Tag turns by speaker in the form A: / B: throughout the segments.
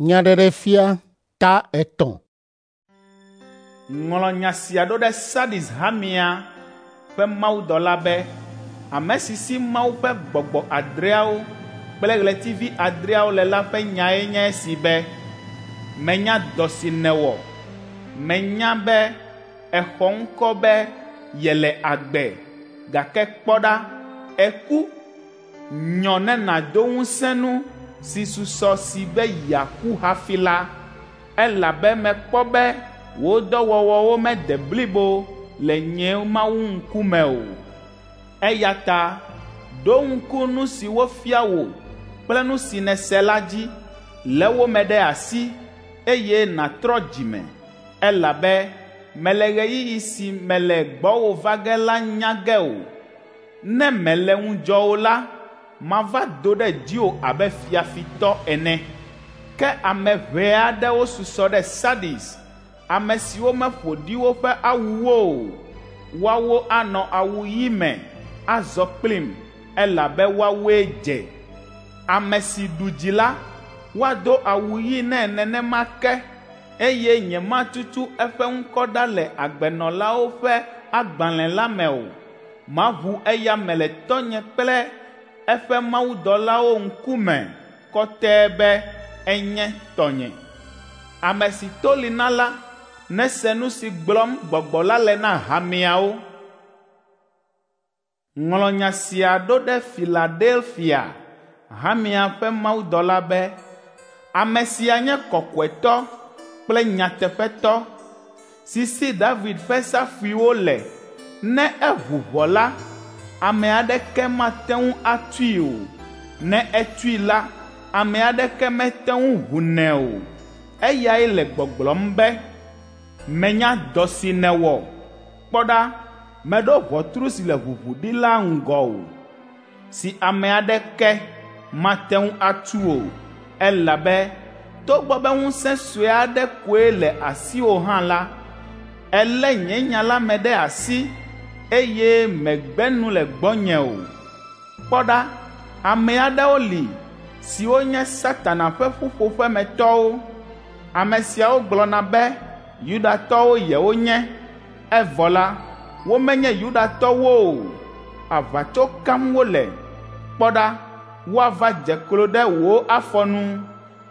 A: Nyaɖeɖefia ta etɔ̃.
B: Ŋlɔ nya sia ɖo ɖe Sardis hamea ƒe mawudɔla be, ame si si Mawu ƒe gbɔgbɔ adreawo kple ɣletivi adreawo le la ƒe nyae nye esi be, Menya dɔ si nèwɔ. Menya be èxɔ ŋkɔ be yele agbe, gake kpɔ ɖa, èku. Nyɔ ne nàdo ŋusẽ nu si susɔ si be yeaku hafi la, elabe mekpɔ be wò dɔwɔwɔwo mede blibo le nye Mawu ŋkume o. Eya ta ɖo ŋku nu si wofia wò kple nu si nèse la dzi, lé wo me ɖe asi, eye nàtrɔ dzime, elabe mèle ɣeyiɣi si mele gbɔwò va ge la nya ge o. Ne mèle ŋudzɔ o la, mava do ɖe dziwò abe fiafitɔ ene. Ke ame ʋɛ aɖewo susɔ ɖe Sardis, ame siwo meƒo ɖi woƒe awuwo o. Woawo anɔ awu ɣi me azɔ kplim, elabe woawoe dze. Ame si ɖu dzi la, woado awu ɣi nɛ nenema ke, eye nyematutu eƒe ŋkɔ ɖa le agbenɔlawo ƒe agbalẽ la me o. Maʋu eya me le Tɔ́nye kple eƒe mawudɔlawo ŋkume kɔtɛe be enye tɔnye. Ame si to li na la, nese nu si gblɔm Gbɔgbɔ la le na hameawo. Ŋlɔ nya sia ɖo ɖe Filadelfia hamea ƒe mawudɔla be, Ame sia nye kɔkɔetɔ kple nyateƒetɔ, si si David ƒe safuiwo le. Ne eʋu ʋɔ la, ame aɖeke mate ŋu atui o. Ne etui la, ame aɖeke mete ŋu ʋunɛ o. Eyae le gbɔgblɔm be, ‘Menya dɔ si nèwɔ. Kpɔ ɖa, meɖo ʋɔtru si le ʋuʋu ɖi la ŋgɔwò, si ame aɖeke mate ŋu atu o, elabe togbɔ be ŋusẽ sue aɖe koe le asiwò hã la, èlé nye nya la me ɖe asi, eye mègbe nu le gbɔnye o. Kpɔ ɖa, ame aɖewo li siwo nye Satana ƒe ƒuƒoƒemetɔwo. Ame siawo gblɔna be Yudatɔwo yewonye, evɔ la, womenye Yudatɔwo o. Aʋatso kam wole. Kpɔ ɖa, woava dze klo ɖe wò afɔ nu,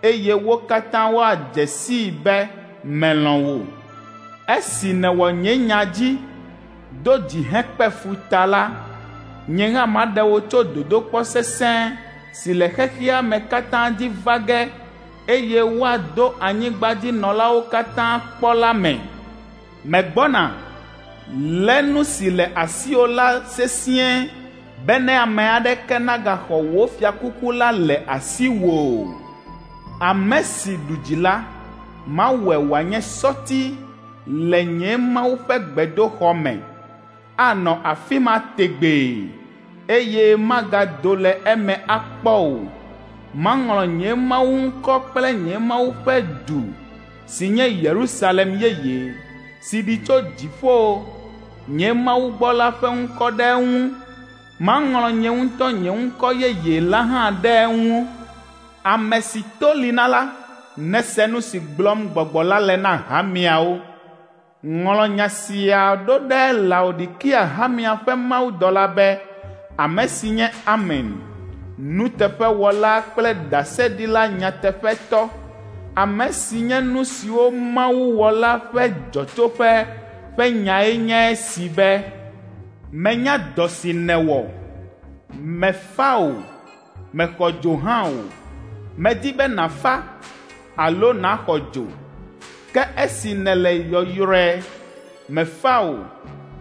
B: eye wo katã woadze sii be melɔ̃ wò. Esi nèwɔ nye nya dzi, do dzi hekpe fu ta la, nye hã maɖe wò tso dodokpɔ sesẽ si le xexea me katã dzi va ge, eye woado anyigbadzinɔlawo katã kpɔ la me. Megbɔna, lé nu si le asiwò la sesĩe bene ame aɖeke nagaxɔ wò fiakuku la le asiwò o. Ame si ɖu dzi la, mawɔe wòanye sɔti le nye Mawu ƒe gbedoxɔ me. Anɔ afi ma tegbee, eye magado le eme akpɔ o. Maŋlɔ nye Mawu ŋkɔ kple nye Mawu ƒe du si nye Yerusalem yeye, si ɖi tso dziƒo, nye Mawu gbɔ la ƒe ŋkɔ ɖe eŋu. Maŋlɔ nye ŋutɔ nye ŋkɔ yeye la hã ɖe eŋu. Ame si to li na la, nese nu si gblɔm Gbɔgbɔ la le na hameawo. Ŋlɔ nya sia ɖo ɖe Laodikea hamea ƒe mawudɔla be, ame si nye Amen, nuteƒewɔla kple ɖaseɖila nyateƒetɔ, ame si nye nu siwo Mawu wɔ la ƒe dzɔtsoƒe ƒe nyae nye esi be, Menya dɔ si nèwɔ. Mèfa o, mèxɔ dzo hã o. Medi be nàfa alo nàxɔ dzo. Ke esi nèle yɔyrɔe, mèfa o,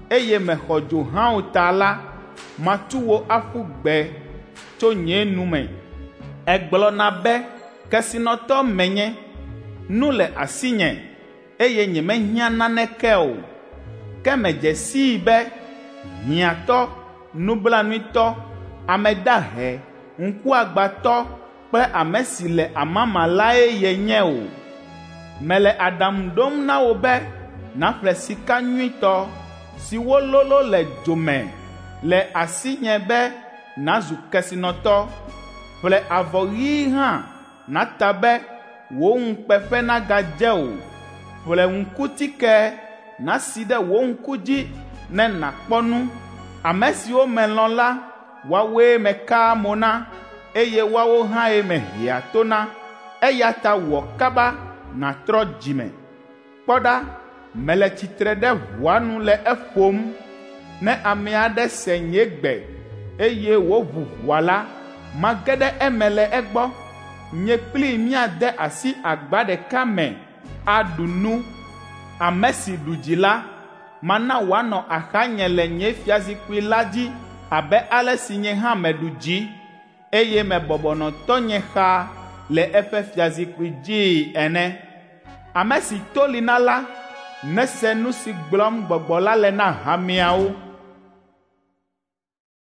B: eye mèxɔ dzo hã o ta la, matu wò aƒu gbe tso nye nu me. Ègblɔna be, ‘Kesinɔtɔ menye, nu le asinye, eye nyemehiã naneke o.’ Ke mèdze sii be hiãtɔ, nublanuitɔ, ame dahe, ŋkuagbãtɔ kple ame si le amama lae yenye o. Mele aɖaŋu ɖom na wò be nàƒle sika nyuitɔ si wololõ le dzo me le asinye be nàzu kesinɔtɔ. Ƒle avɔ ɣi hã nàta be wò ŋukpeƒe nagadze o. Ƒle ŋkutike nàsi ɖe wò ŋku dzi ne nàkpɔ nu. Ame siwo melɔ̃ la, woawoe mekaa mo na, eye woawo hãe mehea to na. Eya ta wɔ kaba nàtrɔ dzime. Kpɔ ɖa, mele tsitre ɖe ʋɔa nu le eƒom. Ne ame aɖe se nye gbe, eye wòʋu ʋɔa la, mage ɖe eme le egbɔ. Nye kplii míade asi agba ɖeka me aɖu nu. Ame si ɖu dzi la, mana wòanɔ axanye le nye fiazikpui la dzi abe ale si nye hã meɖu dzi, eye mebɔbɔ nɔ tɔnye xa le eƒe fiazikpui dzii ene. Ame si to li na la, nese nu si gblɔm Gbɔgbɔ la le na hameawo.